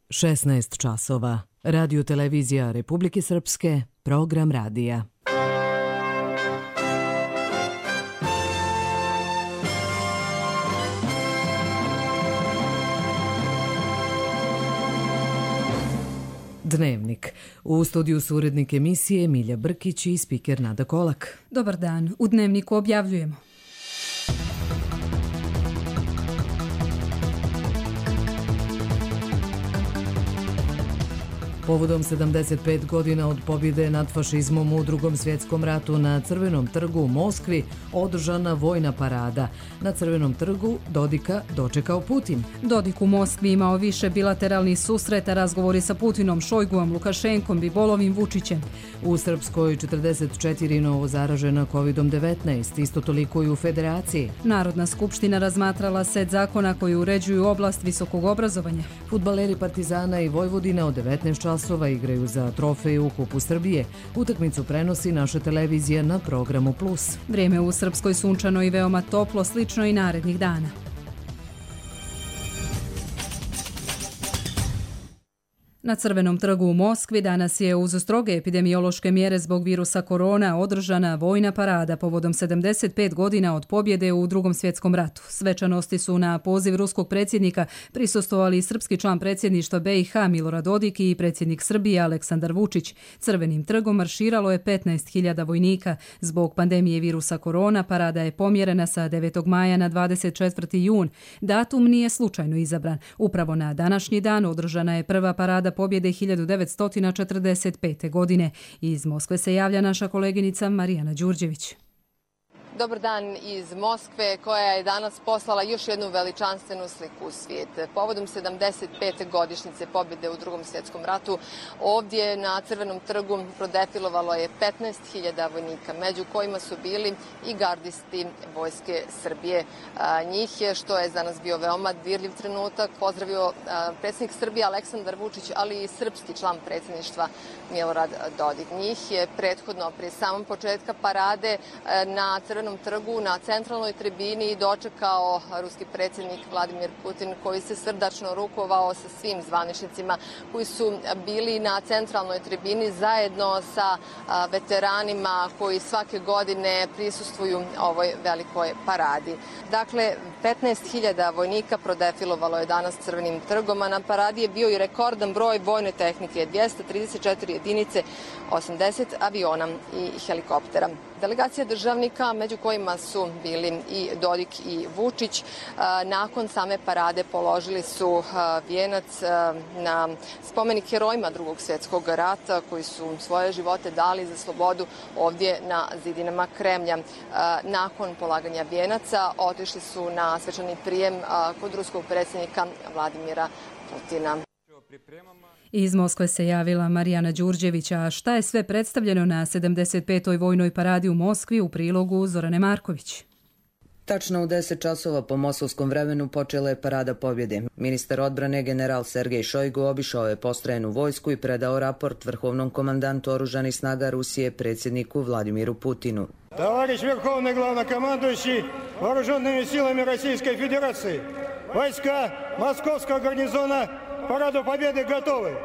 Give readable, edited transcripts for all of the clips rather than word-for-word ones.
16 časova. Radio televizija Republike Srpske, program radija. Dnevnik. U studiju su urednik emisije Milja Brkić i spiker Nada Kolak. Dobar dan. U Dnevniku objavljujemo. Povodom 75 godina od pobjede nad fašizmom u Drugom svjetskom ratu na Crvenom trgu u Moskvi održana vojna parada. Na Crvenom trgu Dodika dočekao Putin. Dodik u Moskvi imao više bilateralnih susreta, razgovori sa Putinom, Šojguom, Lukašenkom, Bibolovim, Vučićem. U Srpskoj 44 novo zaražena COVID-19, isto toliko i u Federaciji. Narodna skupština razmatrala set zakona koji uređuju oblast visokog obrazovanja. Fudbaleri Partizana i Vojvodina od 19 časova igraju za trofej u Kupu Srbije. Utakmicu prenosi naša televizija na programu Plus. Vrijeme u Srpskoj sunčano i veoma toplo, slično i narednih dana. Na Crvenom trgu u Moskvi danas je uz stroge epidemiološke mjere zbog virusa korona održana vojna parada povodom 75 godina od pobjede u Drugom svjetskom ratu. Svečanosti su na poziv ruskog predsjednika prisustvovali srpski član predsjedništva BiH Milorad Dodik i predsjednik Srbije Aleksandar Vučić. Crvenim trgom marširalo je 15.000 vojnika. Zbog pandemije virusa korona parada je pomjerena sa 9. maja na 24. jun. Datum nije slučajno izabran. Upravo na današnji dan održana je prva parada pobjede 1945. godine. Iz Moskve se javlja naša koleginica Marijana Đurđević. Dobar dan iz Moskve, koja je danas poslala još jednu veličanstvenu sliku u svijet. Povodom 75. godišnjice pobjede u Drugom svjetskom ratu, ovdje na Crvenom trgu prodefilovalo je 15.000 vojnika, među kojima su bili i gardisti Vojske Srbije. Njih je, što je za nas bio veoma dirljiv trenutak, pozdravio predsjednik Srbije Aleksandar Vučić, ali i srpski član predsjedništva Milorad Dodik. Njih je prethodno, prije samom početka parade, na Crvenom trgu na centralnoj tribini dočekao ruski predsjednik Vladimir Putin, koji se srdačno rukovao sa svim zvaničnicima koji su bili na centralnoj tribini zajedno sa veteranima koji svake godine prisustvuju ovoj velikoj paradi. Dakle, 15.000 vojnika prodefilovalo je danas Crvenim trgom, a na paradi je bio i rekordan broj vojne tehnike, 234 jedinice, 80 aviona i helikoptera. Delegacija državnika, među kojima su bili i Dodik i Vučić, nakon same parade položili su vijenac na spomenik herojima Drugog svjetskog rata koji su svoje živote dali za slobodu ovdje na zidinama Kremlja. Nakon polaganja vijenaca otišli su na svečani prijem kod ruskog predsjednika Vladimira Putina. Iz Moskve se javila Marijana Đurđević, a šta je sve predstavljeno na 75. vojnoj paradi u Moskvi u prilogu Zorane Marković. Tačno u 10 časova po moskovskom vremenu počela je parada pobjede. Ministar odbrane general Sergej Šojgu obišao je postrojenu vojsku i predao raport vrhovnom komandantu oružanih snaga Rusije predsjedniku Vladimiru Putinu. Товарищ Верховный Главнокомандующий Вооруженными силами Российской Федерации, войска Московского гарнизона Параду Победы готовы.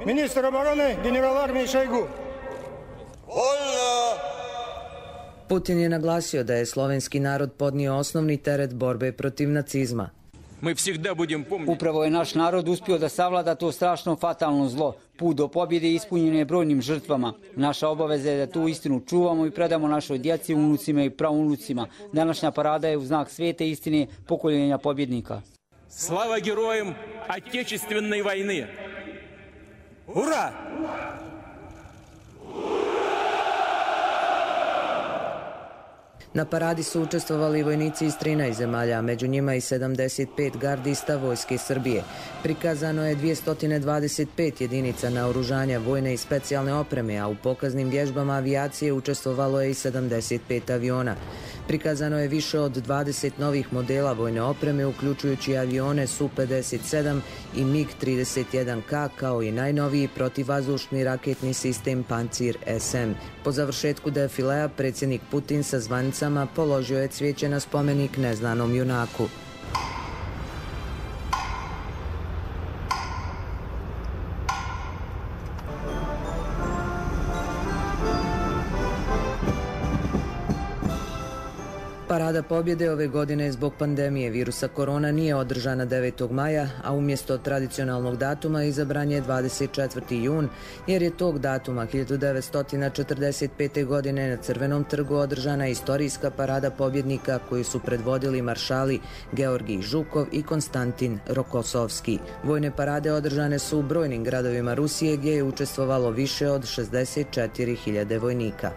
Министр обороны генерал армии Шойгу. Putin je naglasio da je slovenski narod podnio osnovni teret borbe protiv nacizma. Upravo je naš narod uspio da savlada to strašno fatalno zlo. Put do pobjede ispunjen je brojnim žrtvama. Naša obaveza je da tu istinu čuvamo i predamo našoj djeci, unucima i praunucima. Današnja parada je u znak svete istine pokoljenja pobjednika. Slava herojima Отечественной vojne! Ura! Na paradi su učestvovali vojnici iz 13 zemalja, a među njima i 75 gardista Vojske Srbije. Prikazano je 225 jedinica naoružanja vojne i specijalne opreme, a u pokaznim vježbama avijacije učestvovalo je i 75 aviona. Prikazano je više od 20 novih modela vojne opreme, uključujući avione Su-57 i MiG-31K, kao i najnoviji protivvazdušni raketni sistem Pancir SM. Po završetku defilea predsjednik Putin sa zvanicama položio je cvijeće na spomenik neznanom junaku. Parada pobjede ove godine zbog pandemije virusa korona nije održana 9. maja, a umjesto tradicionalnog datuma izabran je 24. jun, jer je tog datuma 1945. godine na Crvenom trgu održana istorijska parada pobjednika koju su predvodili maršali Georgij Žukov i Konstantin Rokosovski. Vojne parade održane su u brojnim gradovima Rusije gdje je učestvovalo više od 64.000 vojnika.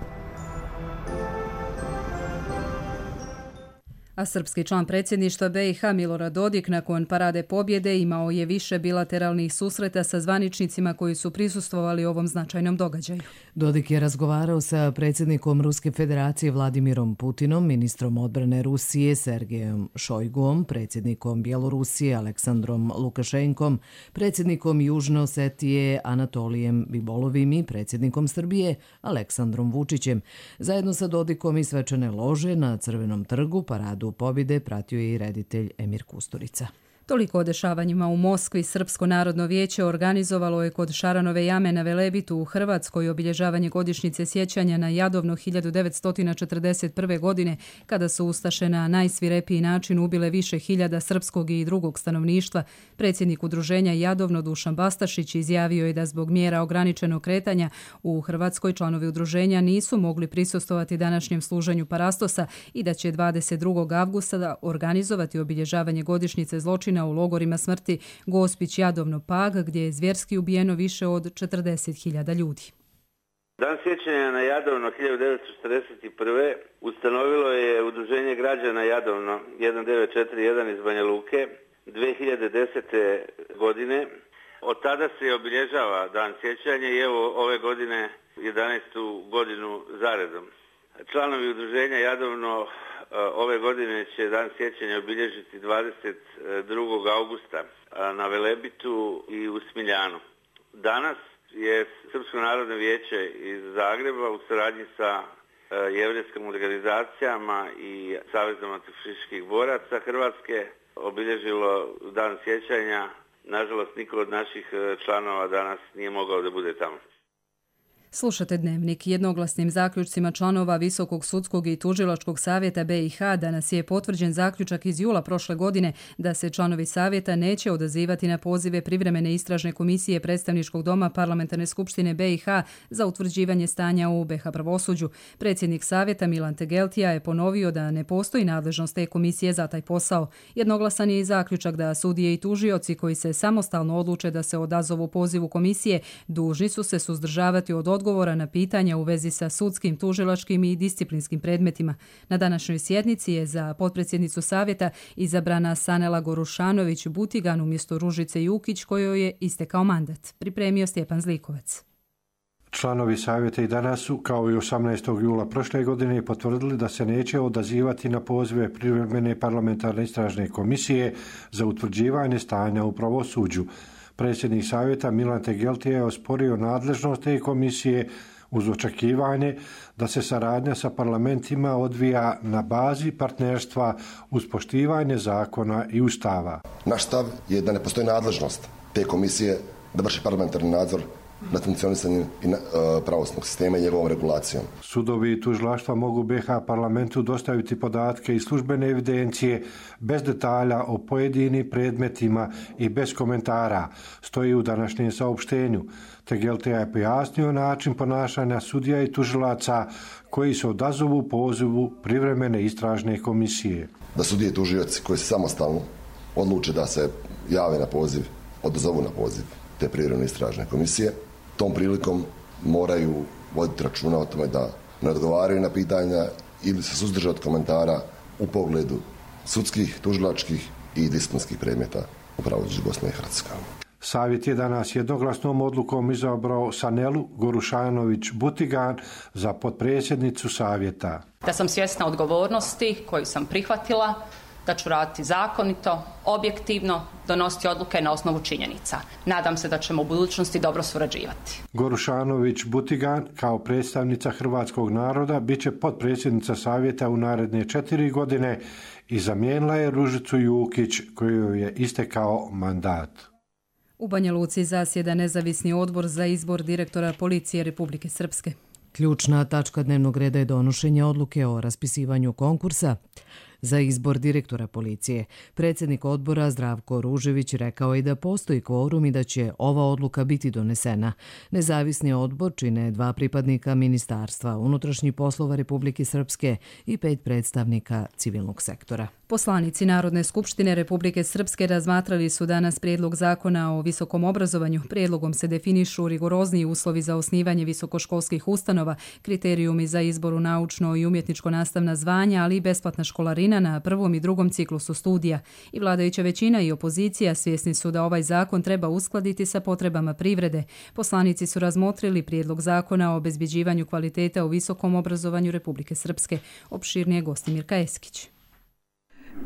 A srpski član predsjedništva BiH Milorad Dodik nakon parade pobjede imao je više bilateralnih susreta sa zvaničnicima koji su prisustvovali ovom značajnom događaju. Dodik je razgovarao sa predsjednikom Ruske federacije Vladimirom Putinom, ministrom odbrane Rusije Sergejem Šojguom, predsjednikom Bjelorusije Aleksandrom Lukašenkom, predsjednikom Južne Osetije Anatolijem Bibolovim i predsjednikom Srbije Aleksandrom Vučićem. Zajedno sa Dodikom i svečane lože na Crvenom trgu paradu pobjede pratio je i reditelj Emir Kusturica. Toliko o dešavanjima u Moskvi. Srpsko narodno vijeće organizovalo je kod Šaranove jame na Velebitu u Hrvatskoj obilježavanje godišnjice sjećanja na Jadovno 1941. godine, kada su ustaše na najsvirepiji način ubile više hiljada srpskog i drugog stanovništva. Predsjednik udruženja Jadovno Dušan Bastašić izjavio je da zbog mjera ograničenog kretanja u Hrvatskoj članovi udruženja nisu mogli prisustvovati današnjem služenju parastosa i da će 22. avgusta organizovati obilježavanje godišnjice zločina u logorima smrti Gospić, Jadovno, Pag, gdje je zvjerski ubijeno više od 40.000 ljudi. Dan sjećanja na Jadovno 1941. ustanovilo je Udruženje građana Jadovno 1941 iz Banja Luke 2010. godine. Od tada se obilježava Dan sjećanja i evo ove godine 11. godinu zaredom. Članovi Udruženja Jadovno ove godine će Dan sjećanja obilježiti 22. augusta na Velebitu i u Smiljanu. Danas je Srpsko narodno vijeće iz Zagreba u saradnji sa jevrejskim organizacijama i Savezom antifašističkih boraca Hrvatske obilježilo Dan sjećanja. Nažalost, niko od naših članova danas nije mogao da bude tamo. Slušate Dnevnik. Jednoglasnim zaključcima članova Visokog sudskog i tužilačkog savjeta BiH danas je potvrđen zaključak iz jula prošle godine da se članovi savjeta neće odazivati na pozive privremene istražne komisije Predstavničkog doma Parlamentarne skupštine BiH za utvrđivanje stanja u BiH pravosuđu. Predsjednik savjeta Milan Tegeltija je ponovio da ne postoji nadležnost te komisije za taj posao. Jednoglasan je i zaključak da sudije i tužioci koji se samostalno odluče da se odazovu pozivu komisije dužni su se suzdržavati od odgovora na pitanja u vezi sa sudskim, tužilačkim i disciplinskim predmetima. Na današnjoj sjednici je za potpredsjednicu savjeta izabrana Sanela Gorušanović Butigan umjesto Ružice Jukić kojoj je istekao mandat. Pripremio Stjepan Zlikovac. Članovi savjeta i danas su, kao i 18. jula prošle godine, potvrdili da se neće odazivati na pozive privremene parlamentarne istražne komisije za utvrđivanje stanja u pravosuđu. Predsjednik savjeta Milan Tegeltija je osporio nadležnost te komisije uz očekivanje da se saradnja sa parlamentima odvija na bazi partnerstva uz poštivanje zakona i ustava. Naš stav je da ne postoji nadležnost te komisije da vrši parlamentarni nadzor nad funkcionisanjem pravosudnog sistema i njegovom regulacijom. Sudovi i tužilaštva mogu BiH parlamentu dostaviti podatke i službene evidencije bez detalja o pojedinim predmetima i bez komentara, stoji u današnjem saopštenju. Tegeltija je pojasnio način ponašanja sudija i tužilaca koji se odazovu pozivu privremene istražne komisije. Da sudije i tužioci koji se samostalno odluče da se jave na poziv, odazovu na poziv te privremene istražne komisije, tom prilikom moraju voditi računa o tome da ne odgovaraju na pitanja ili se suzdrže od komentara u pogledu sudskih, tužilačkih i disciplinskih predmeta u pravosuđu Bosne i Hercegovine. Savjet je danas jednoglasnom odlukom izabrao Sanelu Gorušanović Butigan za potpredsjednicu savjeta. Da sam svjesna odgovornosti koju sam prihvatila, da ću raditi zakonito, objektivno, donositi odluke na osnovu činjenica. Nadam se da ćemo u budućnosti dobro surađivati. Gorušanović Butigan kao predstavnica hrvatskog naroda bit će potpredsjednica savjeta u naredne 4 godine i zamijenila je Ružicu Jukić kojoj je istekao mandat. U Banja Luci zasjeda nezavisni odbor za izbor direktora policije Republike Srpske. Ključna tačka dnevnog reda je donošenje odluke o raspisivanju konkursa za izbor direktora policije. Predsjednik odbora Zdravko Ružević rekao je da postoji kvorum i da će ova odluka biti donesena. Nezavisni odbor čine 2 pripadnika Ministarstva unutrašnjih poslova Republike Srpske i 5 predstavnika civilnog sektora. Poslanici Narodne skupštine Republike Srpske razmatrali su danas prijedlog zakona o visokom obrazovanju. Prijedlogom se definišu rigorozniji uslovi za osnivanje visokoškolskih ustanova, kriterijumi za izbor u naučno i umjetničko nastavna zvanja, ali i besplatna školarina na prvom i drugom ciklusu studija. I vladajuća većina i opozicija svjesni su da ovaj zakon treba uskladiti sa potrebama privrede. Poslanici su razmotrili prijedlog zakona o obezbjeđivanju kvaliteta u visokom obrazovanju Republike Srpske. Opširnije Gostimir Kajeskić.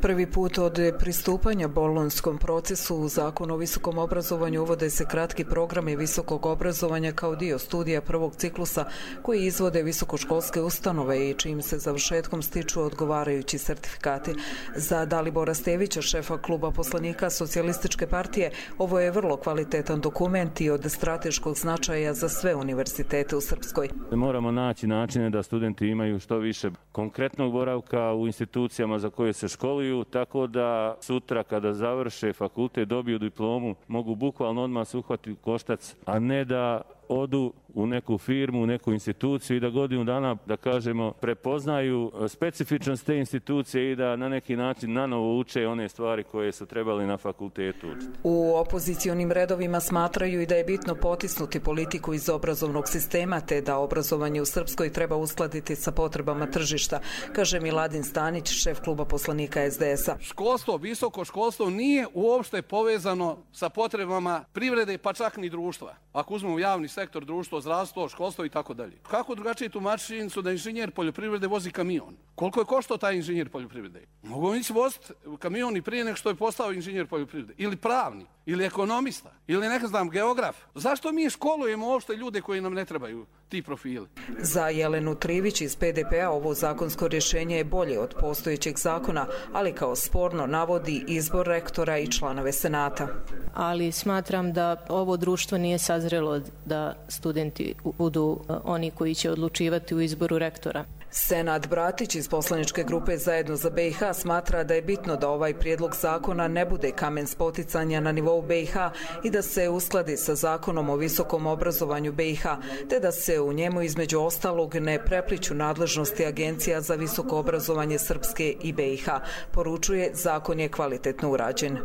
Prvi put od pristupanja bolonjskom procesu u Zakonu o visokom obrazovanju uvode se kratki programi visokog obrazovanja kao dio studija prvog ciklusa koji izvode visokoškolske ustanove i čijim se završetkom stiču odgovarajući sertifikati. Za Dalibora Stevića, šefa kluba poslanika Socijalističke partije, ovo je vrlo kvalitetan dokument i od strateškog značaja za sve univerzitete u Srpskoj. Moramo naći načine da studenti imaju što više konkretnog boravka u institucijama za koje se školuju, tako da sutra kada završe fakultet, dobiju diplomu, mogu bukvalno odmah se uhvatiti koštac, a ne da odu u neku firmu, u neku instituciju i da godinu dana, da kažemo, prepoznaju specifičnost te institucije i da na neki način nanovo uče one stvari koje su trebali na fakultetu učiti. U opozicionim redovima smatraju i da je bitno potisnuti politiku iz obrazovnog sistema, te da obrazovanje u Srpskoj treba uskladiti sa potrebama tržišta, kaže Miladin Stanić, šef kluba poslanika SDS-a. Školstvo, visoko školstvo nije uopšte povezano sa potrebama privrede, pa čak ni društva. Ako uzmemo javni sektor, društvo, zdravstvo, školstvo i tako dalje. Kako drugačije tumačiti činjenicu da inženjer poljoprivrede vozi kamion? Koliko je koštao taj inženjer poljoprivrede? Mogu ići voziti kamion i prije nego što je postao inženjer poljoprivrede. Ili pravni, ili ekonomista, ili ne znam, geograf. Zašto mi školujemo uopšte ljude koji nam ne trebaju ti profili? Za Jelenu Trivić iz PDP-a ovo zakonsko rješenje je bolje od postojećeg zakona, ali kao sporno navodi izbor rektora i članove senata. Ali smatram da ovo društvo nije sazrelo da studenti budu oni koji će odlučivati u izboru rektora. Senad Bratić iz poslaničke grupe Zajedno za BiH smatra da je bitno da ovaj prijedlog zakona ne bude kamen spoticanja na nivou BiH i da se uskladi sa Zakonom o visokom obrazovanju BiH, te da se u njemu između ostalog ne prepliću nadležnosti agencija za visoko obrazovanje Srpske i BiH. Poručuje, zakon je kvalitetno urađen.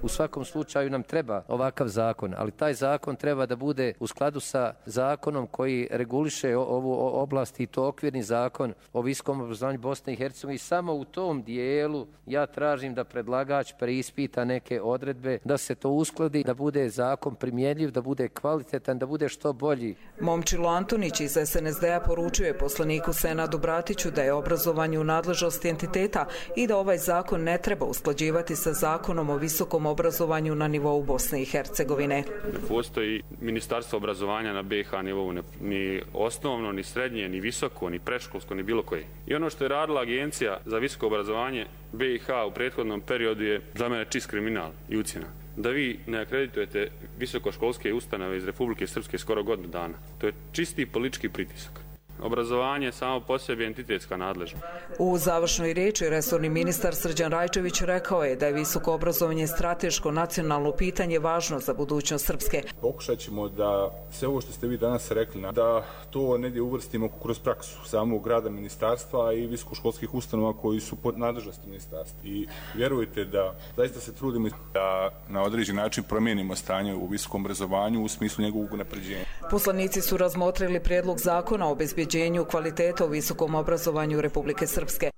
U svakom slučaju nam treba ovakav zakon, ali taj zakon treba da bude u skladu sa zakonom koji reguliše ovu oblast i to okvirni zakon o visokom obrazovanju Bosne i Hercegovine i samo u tom dijelu ja tražim da predlagač preispita neke odredbe, da se to uskladi, da bude zakon primjenjiv, da bude kvalitetan, da bude što bolji. Momčilo Antonić iz SNSD-a poručuje poslaniku Senadu Bratiću da je obrazovanje u nadležnosti entiteta i da ovaj zakon ne treba usklađivati sa Zakonom o visokom obrazovanju na nivou Bosne i Hercegovine. Ne postoji ministarstvo obrazovanja na BiH nivou, ni osnovno, ni srednje, ni visoko, ni predškolsko, ni bilo koje. I ono što je radila Agencija za visoko obrazovanje BiH u prethodnom periodu je za mene čist kriminal i ucjena. Da vi ne akreditujete visokoškolske ustanove iz Republike Srpske skoro godinu dana. To je čisti politički pritisak. Obrazovanje samo po sebi entitetska nadležnost. U završnoj riječi resorni ministar Srđan Rajčević rekao je da je visoko obrazovanje strateško nacionalno pitanje važno za budućnost Srpske. Pokušat ćemo da sve ovo što ste vi danas rekli, da to negdje uvrstimo kroz praksu samog rada ministarstva i visokoškolskih ustanova koji su pod nadležnosti ministarstva. I vjerujte da zaista se trudimo da na određen način promijenimo stanje u visokom obrazovanju u smislu njegovog unapređenja. Poslanici su razmotrili prijedlog zakona o obezbeđenju kvaliteta u visokom obrazovanju Republike Srpske.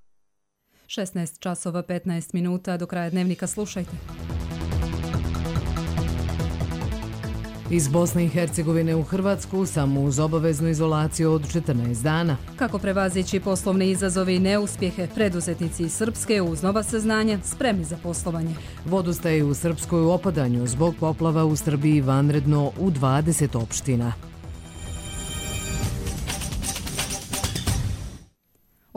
16:15 do kraja dnevnika slušajte. Iz Bosne i Hercegovine u Hrvatsku samo uz obaveznu izolaciju od 14 dana. Kako prevazići poslovne izazove i neuspjehe, preduzetnici iz Srpske uz nova saznanja spremni za poslovanje. Vodostaje u Srpskoj u opadanju zbog poplava u Srbiji vanredno u 20 opština.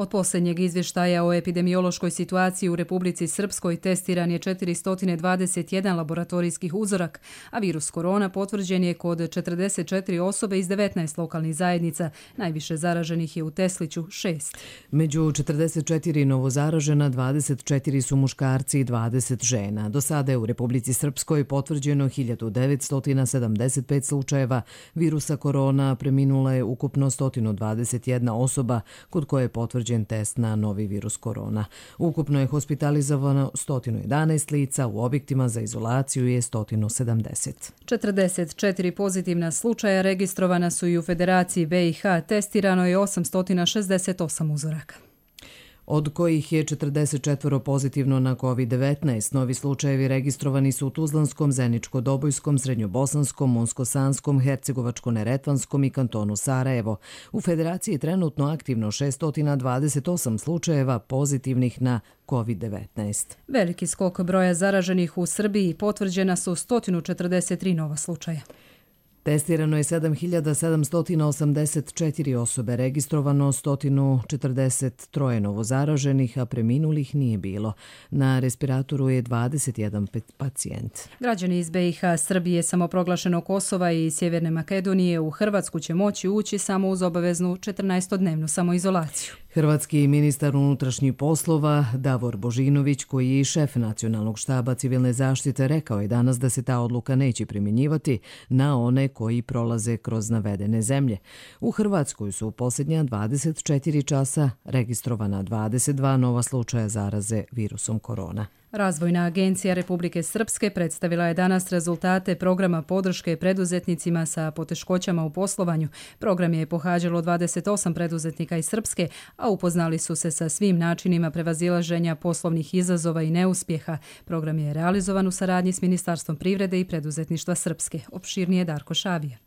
Od posljednjeg izvještaja o epidemiološkoj situaciji u Republici Srpskoj testiran je 421 laboratorijskih uzorak, a virus korona potvrđen je kod 44 osobe iz 19 lokalnih zajednica. Najviše zaraženih je u Tesliću 6. Među 44 novozaražena 24 su muškarci i 20 žena. Do sada je u Republici Srpskoj potvrđeno 1975 slučajeva virusa korona, preminula je ukupno 121 osoba kod koje je potvrđen test na novi virus korona. Ukupno je hospitalizovano 111 lica, u objektima za izolaciju je 170. 44 pozitivna slučaja registrovana su i u Federaciji BiH, testirano je 868 uzoraka. Od kojih je 44 pozitivno na COVID-19. Novi slučajevi registrovani su u Tuzlanskom, Zeničko-Dobojskom, Srednjobosanskom, Monskosanskom, Hercegovačko-Neretvanskom i kantonu Sarajevo. U Federaciji je trenutno aktivno 628 slučajeva pozitivnih na COVID-19. Veliki skok broja zaraženih u Srbiji, potvrđena su 143 nova slučaja. Testirano je 7784 osobe, registrovano 143 novozaraženih, a preminulih nije bilo. Na respiratoru je 21 pacijent. Građani iz BiH, Srbije, samoproglašenog Kosova i Sjeverne Makedonije u Hrvatsku će moći ući samo uz obaveznu 14-dnevnu samoizolaciju. Hrvatski ministar unutrašnjih poslova Davor Božinović, koji je i šef Nacionalnog štaba civilne zaštite, rekao je danas da se ta odluka neće primjenjivati na one koji prolaze kroz navedene zemlje. U Hrvatskoj su u posljednja 24 časa registrovana 22 nova slučaja zaraze virusom korona. Razvojna agencija Republike Srpske predstavila je danas rezultate programa podrške preduzetnicima sa poteškoćama u poslovanju. Program je pohađalo 28 preduzetnika iz Srpske, a upoznali su se sa svim načinima prevazilaženja poslovnih izazova i neuspjeha. Program je realizovan u saradnji s Ministarstvom privrede i preduzetništva Srpske. Opširnije Darko Šavija.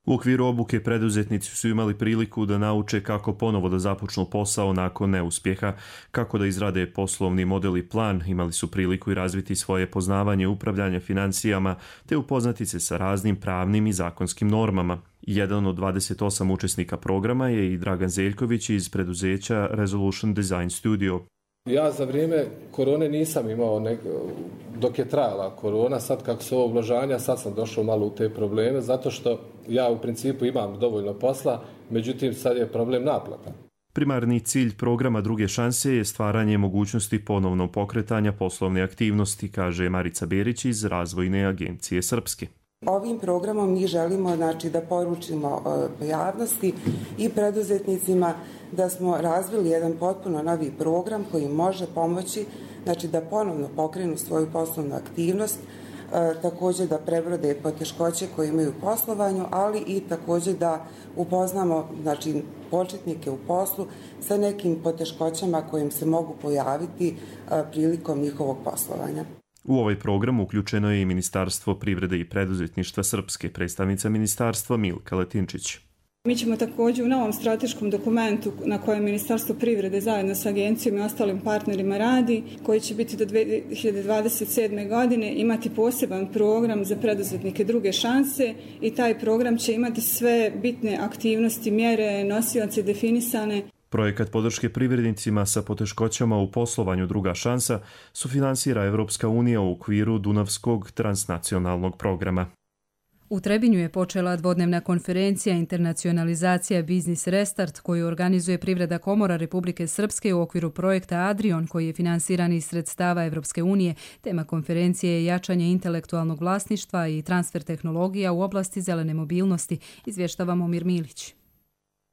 U okviru obuke preduzetnici su imali priliku da nauče kako ponovo da započnu posao nakon neuspjeha, kako da izrade poslovni model i plan, imali su priliku i razviti svoje poznavanje upravljanja financijama te upoznati se sa raznim pravnim i zakonskim normama. Jedan od 28 učesnika programa je i Dragan Zeljković iz preduzeća Resolution Design Studio. Ja za vrijeme korone nisam imao, dok je trajala korona, sad kako su ovo ublažanja, sad sam došao malo u te probleme, zato što ja u principu imam dovoljno posla, međutim sad je problem naplata. Primarni cilj programa Druge šanse je stvaranje mogućnosti ponovnog pokretanja poslovne aktivnosti, kaže Marica Berić iz Razvojne agencije Srpske. Ovim programom mi želimo da poručimo javnosti i preduzetnicima da smo razvili jedan potpuno novi program koji može pomoći da ponovno pokrenu svoju poslovnu aktivnost, također da prebrode poteškoće koje imaju u poslovanju, ali i također da upoznamo početnike u poslu sa nekim poteškoćama kojim se mogu pojaviti prilikom njihovog poslovanja. U ovaj program uključeno je i Ministarstvo privrede i preduzetništva Srpske, predstavnica ministarstva Milka Letinčić. Mi ćemo također u novom strateškom dokumentu na kojem Ministarstvo privrede zajedno sa agencijom i ostalim partnerima radi, koji će biti do 2027. godine, imati poseban program za preduzetnike Druge šanse i taj program će imati sve bitne aktivnosti, mjere, nosioce definisane. Projekat podrške privrednicima sa poteškoćama u poslovanju Druga šansa sufinansira Evropska unija u okviru Dunavskog transnacionalnog programa. U Trebinju je počela dvodnevna konferencija Internacionalizacija Biznis Restart koju organizuje Privredna komora Republike Srpske u okviru projekta Adrion koji je finansiran iz sredstava Evropske unije. Tema konferencije je jačanje intelektualnog vlasništva i transfer tehnologija u oblasti zelene mobilnosti, izvještava Momir Milić.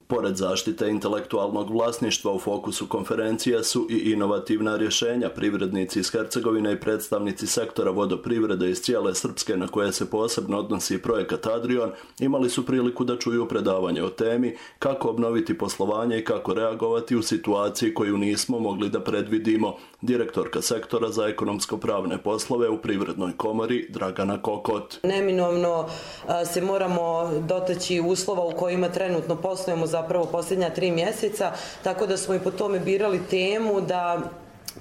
Pored zaštite intelektualnog vlasništva u fokusu konferencije su i inovativna rješenja. Privrednici iz Hercegovine i predstavnici sektora vodoprivrede iz cijele Srpske na koje se posebno odnosi projekat Adrion imali su priliku da čuju predavanje o temi kako obnoviti poslovanje i kako reagovati u situaciji koju nismo mogli da predvidimo. Direktorka sektora za ekonomsko-pravne poslove u Privrednoj komori Dragana Kokot. Neminovno se moramo dotaći uslova u kojima trenutno poslujemo zapravo posljednja 3 mjeseca, tako da smo i po tome birali temu da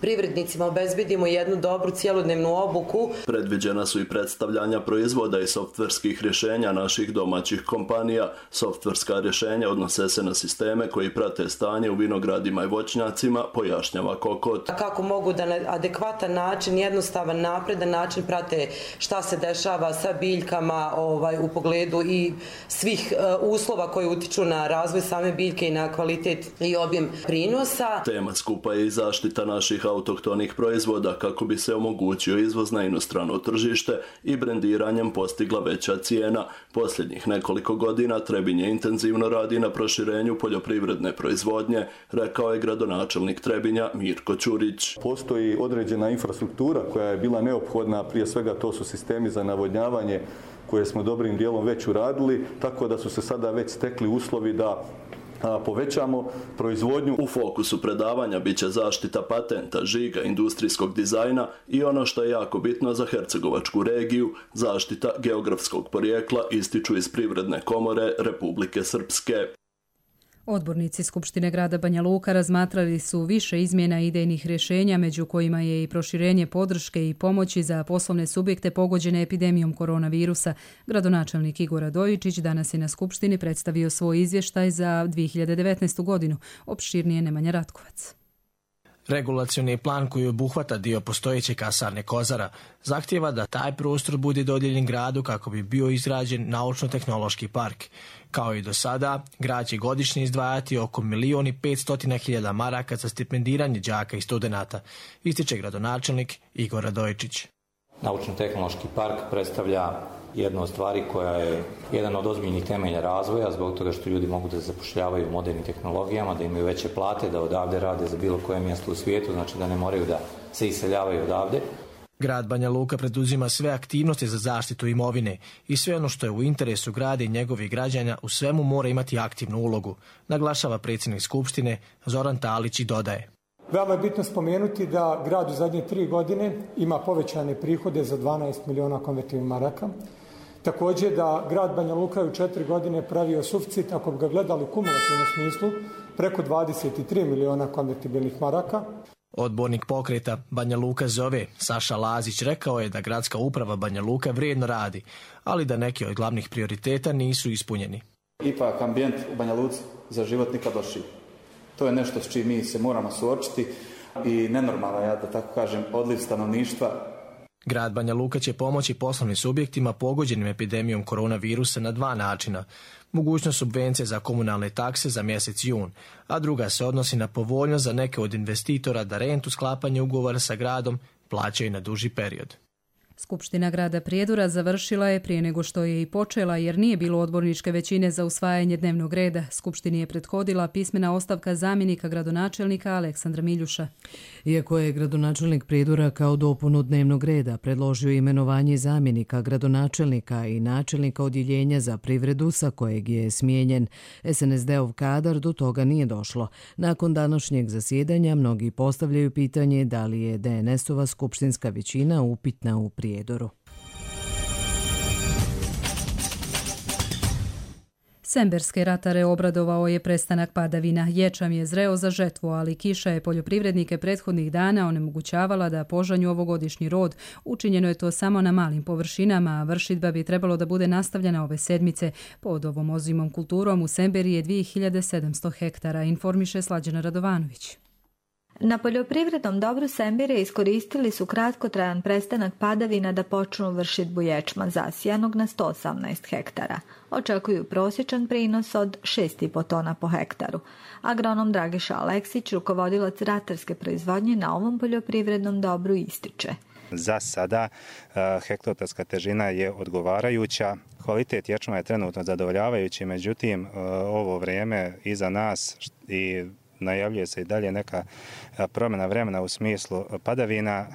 privrednicima obezbedimo jednu dobru cjelodnevnu obuku. Predviđena su i predstavljanja proizvoda i softverskih rješenja naših domaćih kompanija. Softverska rješenja odnose se na sisteme koji prate stanje u vinogradima i voćnjacima, pojašnjava Kokot. Kako mogu da na adekvatan način, jednostavan, napredan način prate šta se dešava sa biljkama u pogledu i svih uslova koji utiču na razvoj same biljke i na kvalitet i objem prinosa. Tema skupa je i zaštita naših autohtonih proizvoda kako bi se omogućio izvoz na inostrano tržište i brendiranjem postigla veća cijena. Posljednjih nekoliko godina Trebinje intenzivno radi na proširenju poljoprivredne proizvodnje, rekao je gradonačelnik Trebinja Mirko Ćurić. Postoji određena infrastruktura koja je bila neophodna, prije svega to su sistemi za navodnjavanje koje smo dobrim dijelom već uradili, tako da su se sada već stekli uslovi da povećamo proizvodnju. U fokusu predavanja bit će zaštita patenta, žiga, industrijskog dizajna i ono što je jako bitno za hercegovačku regiju, zaštita geografskog porijekla, ističu iz Privredne komore Republike Srpske. Odbornici Skupštine grada Banja Luka razmatrali su više izmjena idejnih rješenja, među kojima je i proširenje podrške i pomoći za poslovne subjekte pogođene epidemijom koronavirusa. Gradonačelnik Igor Radojičić danas je na Skupštini predstavio svoj izvještaj za 2019. godinu. Opširnije Nemanja Ratkovac. Regulacioni plan koji obuhvata dio postojeće kasarne Kozara zahtijeva da taj prostor bude dodijeljen gradu kako bi bio izgrađen naučno-tehnološki park. Kao i do sada, grad će godišnje izdvajati oko 1.500.000 maraka za stipendiranje đaka i studenata, ističe gradonačelnik Igor Radojičić. Naučno-tehnološki park predstavlja jednu od stvari koja je jedan od ozbiljnih temelja razvoja, zbog toga što ljudi mogu da zapošljavaju u modernim tehnologijama, da imaju veće plate, da odavde rade za bilo koje mjesto u svijetu, znači da ne moraju da se iseljavaju odavde. Grad Banja Luka preduzima sve aktivnosti za zaštitu imovine i sve ono što je u interesu grada i njegovih građana u svemu mora imati aktivnu ulogu, naglašava predsjednik Skupštine Zoran Talić i dodaje. Veoma je bitno spomenuti da grad u zadnje 3 godine ima povećane prihode za 12 miliona konvertibilnih maraka. Također da grad Banja Luka u 4 godine pravio suficit, ako bi ga gledali u kumulativnom smislu, preko 23 miliona konvertibilnih maraka. Odbornik pokreta Banja Luka zove Saša Lazić rekao je da gradska uprava Banja Luka vrijedno radi, ali da neki od glavnih prioriteta nisu ispunjeni. Ipak ambijent u Banja Luci za život nikad lošiji. To je nešto s čim mi se moramo suočiti i nenormalno, ja da tako kažem, odliv stanovništva. Grad Banja Luka će pomoći poslovnim subjektima pogođenim epidemijom koronavirusa na 2 načina. Mogućnost subvencije za komunalne takse za mjesec jun, a druga se odnosi na povoljnost za neke od investitora da rentu sklapanje ugovora sa gradom plaćaju na duži period. Skupština grada Prijedora završila je prije nego što je i počela jer nije bilo odborničke većine za usvajanje dnevnog reda. Skupštini je prethodila pismena ostavka zamjenika gradonačelnika Aleksandra Miljuša. Iako je gradonačelnik Prijedora kao dopunu dnevnog reda predložio imenovanje zamjenika gradonačelnika i načelnika odjeljenja za privredu sa kojeg je smijenjen, SNSD-ov kadar do toga nije došlo. Nakon današnjeg zasjedanja mnogi postavljaju pitanje da li je DNS-ova skupštinska većina upitna u Prijedoru. Semberske ratare obradovao je prestanak padavina. Ječam je zreo za žetvu, ali kiša je poljoprivrednike prethodnih dana onemogućavala da požanju ovogodišnji rod. Učinjeno je to samo na malim površinama, a vršidba bi trebalo da bude nastavljena ove sedmice. Pod ovom ozimom kulturom u Semberi je 2700 hektara, informiše Slađana Radovanović. Na poljoprivrednom dobru Sembire iskoristili su kratkotrajan prestanak padavina da počnu vršidbu ječma zasijanog na 118 hektara. Očekuju prosječan prinos od 6,5 tona po hektaru. Agronom Dragiša Aleksić, rukovodilac ratarske proizvodnje na ovom poljoprivrednom dobru, ističe. Za sada hektotarska težina je odgovarajuća, kvalitet ječma je trenutno zadovoljavajući, međutim ovo vrijeme iza nas i najavljuje se i dalje neka promjena vremena u smislu padavina,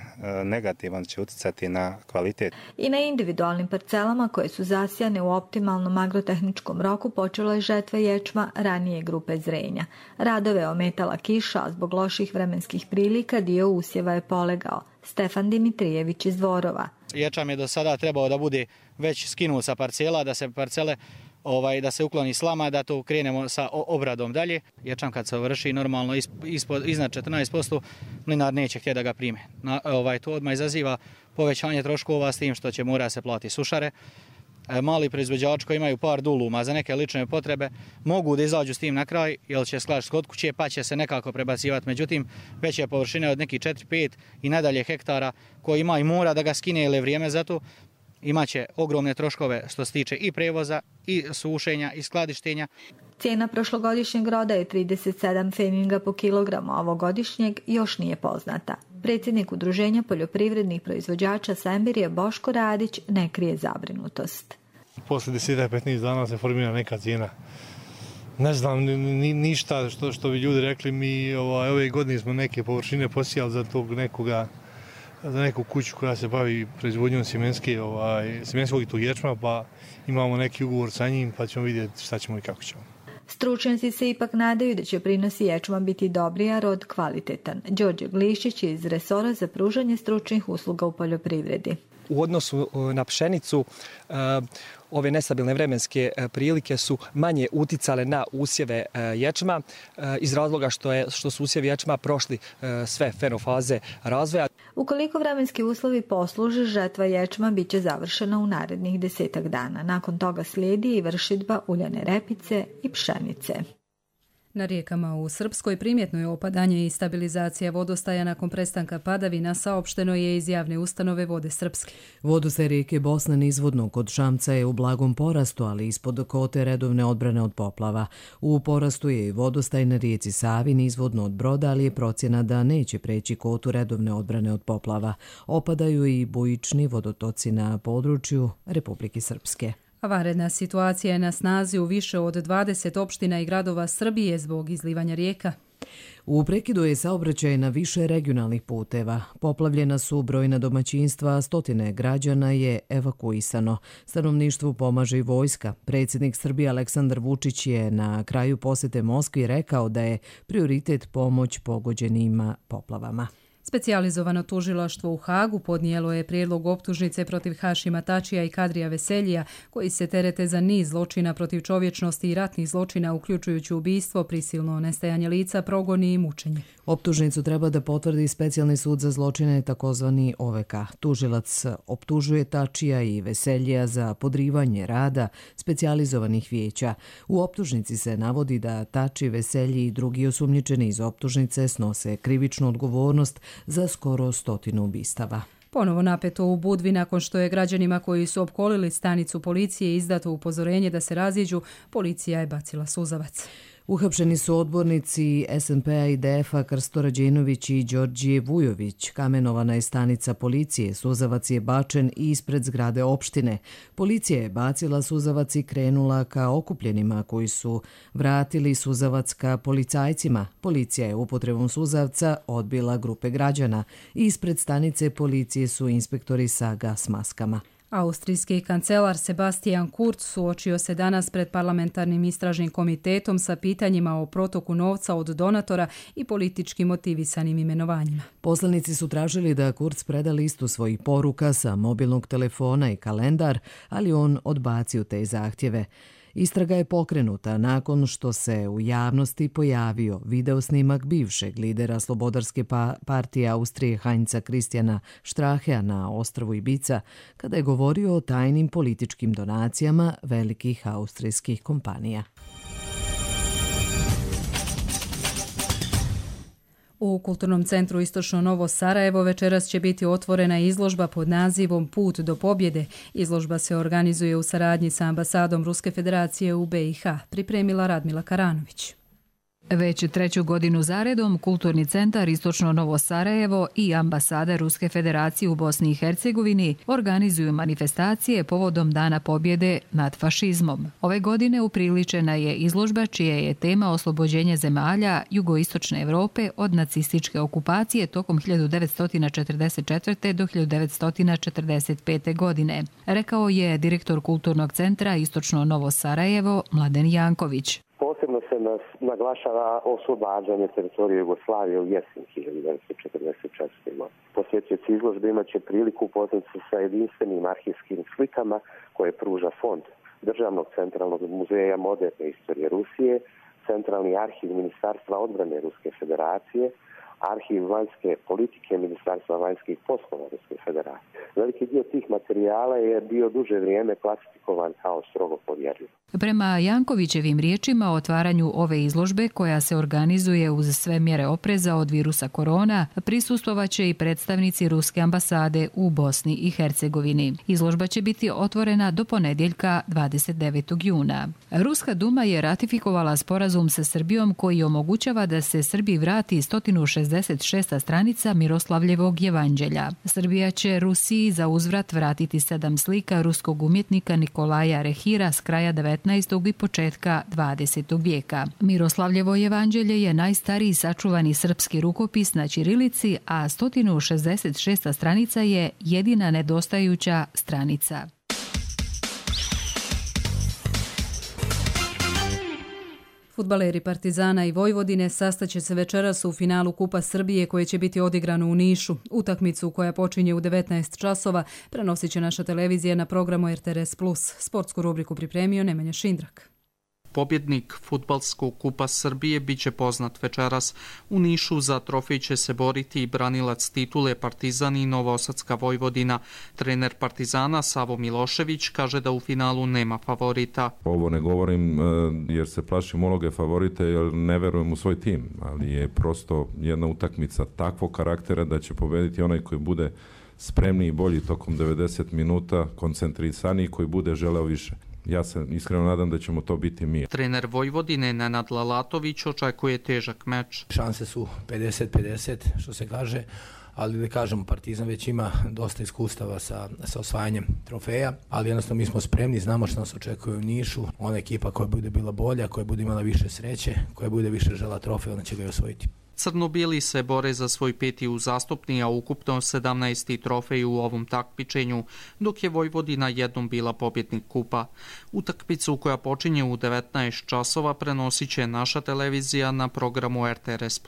negativno će utjecati na kvalitet. I na individualnim parcelama koje su zasijane u optimalnom agrotehničkom roku počela je žetva ječma ranije grupe zrenja. Radove ometala kiša, a zbog loših vremenskih prilika dio usjeva je polegao. Stefan Dimitrijević iz Dvorova. Ječam je do sada trebao da bude već skinut sa parcela, da se parcele da se ukloni slama, da to krenemo sa obradom dalje. Ječam kad se vrši normalno iznad 14%, mlinar neće htjeti da ga prime. To odmah izaziva povećanje troškova s tim što će mora se plati sušare. Mali proizvođači koji imaju par duluma za neke lične potrebe mogu da izađu s tim na kraj, jer će sklaš kod kuće pa će se nekako prebacivati. Međutim, veće površine od nekih 4-5 i nadalje hektara koji ima i mora da ga skine ili vrijeme za to, imaće ogromne troškove što se tiče i prevoza, i sušenja, i skladištenja. Cijena prošlogodišnjeg roda je 37 pfeninga po kilogramu, a ovogodišnjeg još nije poznata. Predsjednik Udruženja poljoprivrednih proizvođača Sembirije Boško Radić ne krije zabrinutost. Posle 10-15 dana se formira neka cijena. Ne znam ništa što bi ljudi rekli, mi ove godine smo neke površine posijali za tog nekoga, za neku kuću koja se bavi proizvodnjom sjemenskog i tog ječma, pa imamo neki ugovor sa njim, pa ćemo vidjeti šta ćemo i kako ćemo. Stručnjaci se ipak nadaju da će prinosi ječma biti dobri, a rod kvalitetan. Đorđe Glišić je iz resora za pružanje stručnih usluga u poljoprivredi. U odnosu na pšenicu, ove nestabilne vremenske prilike su manje uticale na usjeve ječma iz razloga što su usjevi ječma prošli sve fenofaze razvoja. Ukoliko vremenski uslovi posluže, žetva ječma bit će završena u narednih 10 dana. Nakon toga slijedi i vršidba uljane repice i pšenice. Na rijekama u Srpskoj primjetno je opadanje i stabilizacija vodostaja nakon prestanka padavina, saopšteno je iz javne ustanove Vode Srpske. Vodostaj rijeke Bosne nizvodno kod Šamca je u blagom porastu, ali ispod kote redovne odbrane od poplava. U porastu je i vodostaj na rijeci Savi nizvodno od Broda, ali je procjena da neće preći kotu redovne odbrane od poplava. Opadaju i bujični vodotoci na području Republike Srpske. Vanredna situacija je na snazi u više od 20 opština i gradova Srbije zbog izlivanja rijeka. U prekidu je saobraćaj na više regionalnih puteva. Poplavljena su brojna domaćinstva, stotine građana je evakuisano. Stanovništvu pomaže i vojska. Predsjednik Srbije Aleksandar Vučić je na kraju posjete Moskvi rekao da je prioritet pomoć pogođenima poplavama. Specijalizovano tužilaštvo u Hagu podnijelo je prijedlog optužnice protiv Hašima Tačija i Kadrija Veseljija, koji se terete za niz zločina protiv čovječnosti i ratnih zločina, uključujući ubistvo, prisilno nestajanje lica, progoni i mučenje. Optužnicu treba da potvrdi Specijalni sud za zločine, takozvani OVK. Tužilac optužuje Tačija i Veseljija za podrivanje rada specijalizovanih vijeća. U optužnici se navodi da Tači, Veselji i drugi osumnjičeni iz optužnice snose krivičnu odgovornost za skoro 100 ubistava. Ponovo napeto u Budvi nakon što je građanima koji su opkolili stanicu policije izdato upozorenje da se raziđu, policija je bacila suzavac. Uhapšeni su odbornici SNP-a i DF-a Krsto Rađenović i Đorđije Vujović. Kamenovana je stanica policije, suzavac je bačen i ispred zgrade opštine. Policija je bacila suzavac i krenula ka okupljenima koji su vratili suzavac ka policajcima. Policija je upotrebom suzavca odbila grupe građana. Ispred stanice policije su inspektori sa gas maskama. Austrijski kancelar Sebastian Kurz suočio se danas pred parlamentarnim istražnim komitetom sa pitanjima o protoku novca od donatora i politički motivisanim imenovanjima. Poslanici su tražili da Kurz preda listu svojih poruka sa mobilnog telefona i kalendar, ali on odbacio te zahtjeve. Istraga je pokrenuta nakon što se u javnosti pojavio videosnimak bivšeg lidera Slobodarske partije Austrije Heinza Christiana Strachea na ostrvu Ibiza, kada je govorio o tajnim političkim donacijama velikih austrijskih kompanija. U Kulturnom centru Istočno Novo Sarajevo večeras će biti otvorena izložba pod nazivom Put do pobjede. Izložba se organizuje u saradnji sa ambasadom Ruske federacije u BiH, pripremila Radmila Karanović. Već treću godinu zaredom Kulturni centar Istočno Novo Sarajevo i ambasada Ruske federacije u Bosni i Hercegovini organizuju manifestacije povodom Dana pobjede nad fašizmom. Ove godine upriličena je izložba čija je tema oslobođenje zemalja jugoistočne Evrope od nacističke okupacije tokom 1944. do 1945. godine, rekao je direktor Kulturnog centra Istočno Novo Sarajevo Mladen Janković. Posebno se naglašava oslobađanje teritorije Jugoslavije u jesen 1944. Posjetioci izložbe imat će priliku upoznati se sa jedinstvenim arhivskim slikama koje pruža fond Državnog centralnog muzeja moderne istorije Rusije, Centralni arhiv Ministarstva odbrane Ruske federacije, Arhiv vanjske politike Ministarstva vanjskih poslova Ruske federacije. Veliki dio tih materijala je bio duže vrijeme klasifikovan kao strogo povjerljiv. Prema Jankovićevim riječima o otvaranju ove izložbe, koja se organizuje uz sve mjere opreza od virusa korona, prisustvovaće i predstavnici Ruske ambasade u Bosni i Hercegovini. Izložba će biti otvorena do ponedjeljka 29. juna. Ruska Duma je ratifikovala sporazum sa Srbijom koji omogućava da se Srbiji vrati 166. stranica Miroslavljevog jevanđelja. Srbija će Rusiji za uzvrat vratiti 7 slika ruskog umjetnika Nikolaja Rehira s kraja 19. i početka 20. vijeka. Miroslavljevo jevanđelje je najstariji sačuvani srpski rukopis na ćirilici, a 166. stranica je jedina nedostajuća stranica. Fudbaleri Partizana i Vojvodine sastaće se večeras u finalu Kupa Srbije koje će biti odigrano u Nišu. Utakmicu koja počinje u 19 časova prenosit će naša televizija na programu RTRS+. Sportsku rubriku pripremio Nemanja Šindrak. Pobjednik Fudbalskog kupa Srbije biće poznat večeras. U Nišu za trofej će se boriti i branilac titule Partizan i Novosadska Vojvodina. Trener Partizana Savo Milošević kaže da u finalu nema favorita. Ovo ne govorim jer se plašim uloge favorite, jer ne verujem u svoj tim, ali je prosto jedna utakmica takvog karaktera da će pobediti onaj koji bude spremniji i bolji tokom 90 minuta, koncentrisaniji, koji bude želeo više. Ja se iskreno nadam da ćemo to biti mi. Trener Vojvodine Nenad Lalatović očekuje težak meč. Šanse su 50-50, što se kaže, ali da kažemo, Partizan već ima dosta iskustava sa osvajanjem trofeja, ali jednostavno mi smo spremni, znamo što nas očekuje u Nišu. Ona ekipa koja bude bila bolja, koja bude imala više sreće, koja bude više žela trofej, ona će ga i osvojiti. Crno-bijeli se bore za svoj 5. uzastopni, a ukupno 17. trofej u ovom takmičenju, dok je Vojvodina jednom bila pobjednik kupa. Utakmicu koja počinje u 19 časova prenosit će naša televizija na programu RTRS+.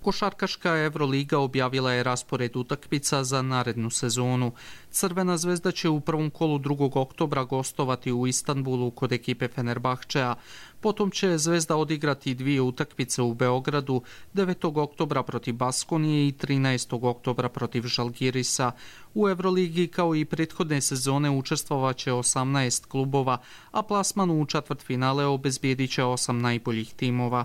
Košarkaška Evroliga objavila je raspored utakmica za narednu sezonu. Crvena zvezda će u prvom kolu 2. oktobra gostovati u Istanbulu kod ekipe Fenerbahčea. Potom će Zvezda odigrati 2 utakmice u Beogradu, 9. oktobra protiv Baskonije i 13. oktobra protiv Žalgirisa. U Evroligi kao i prethodne sezone učestvovaće 18 klubova, a plasman u četvrtfinale obezbijedit će 8 najboljih timova.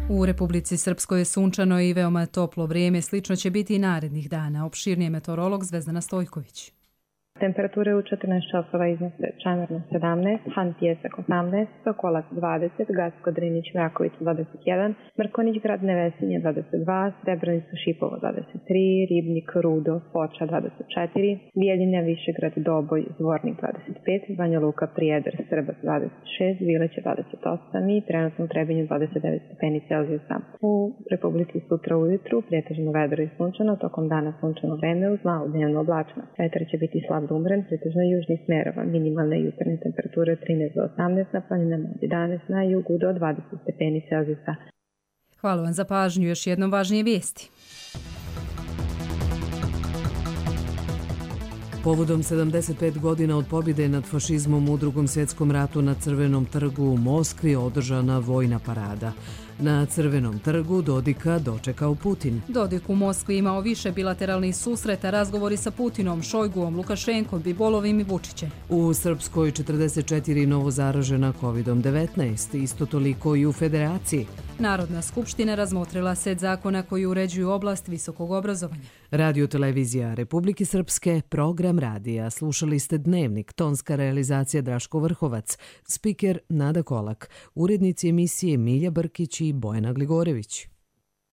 U Republici Srpskoj je sunčano i veoma toplo vrijeme, slično će biti i narednih dana. Opširnije meteorolog Zvezdana Stojković. Temperature u 14 časova iznose Čamerno 17, Han Pjesak 18, Sokolac 20, Gacko Drinić Vraković 21, Mrkonić Grad Nevesinje 22, Srebrenica Šipovo 23, Ribnik Rudo Foča 24, Bijeljina Višegrad Doboj Zvornik 25, Banja Luka Prijedor Srbac 26, Vileće 28 i trenutno u Trebinju 29 stepeni Celzijusa. U Republici sutra ujutru pretežno vedro i sunčano, tokom dana sunčano vreme uz malo dnevno oblačno. Vetar će biti slab do umeren, pretežno južnih smerova, minimalne jutarnje temperature 13 do 18, na planinama od 11, na jugu do 20 stepeni Celzijusa. Hvala vam za pažnju, još jednom važnije vijesti. Povodom 75 godina od pobjede nad fašizmom u Drugom svjetskom ratu na Crvenom trgu u Moskvi održana vojna parada. Na Crvenom trgu Dodika dočekao Putin. Dodik u Moskvi imao više bilateralnih susreta, razgovori sa Putinom, Šojguom, Lukašenkom, Bibolovim i Vučićem. U Srpskoj 44 novo zaražena COVID-19, isto toliko i u Federaciji. Narodna skupština razmotrila set zakona koji uređuju oblast visokog obrazovanja. Radio televizija Republike Srpske, program radija. Slušali ste Dnevnik, tonska realizacija Draško Vrhovac, spiker Nada Kolak, urednici emisije Milja Brkić i Bojana Gligorević.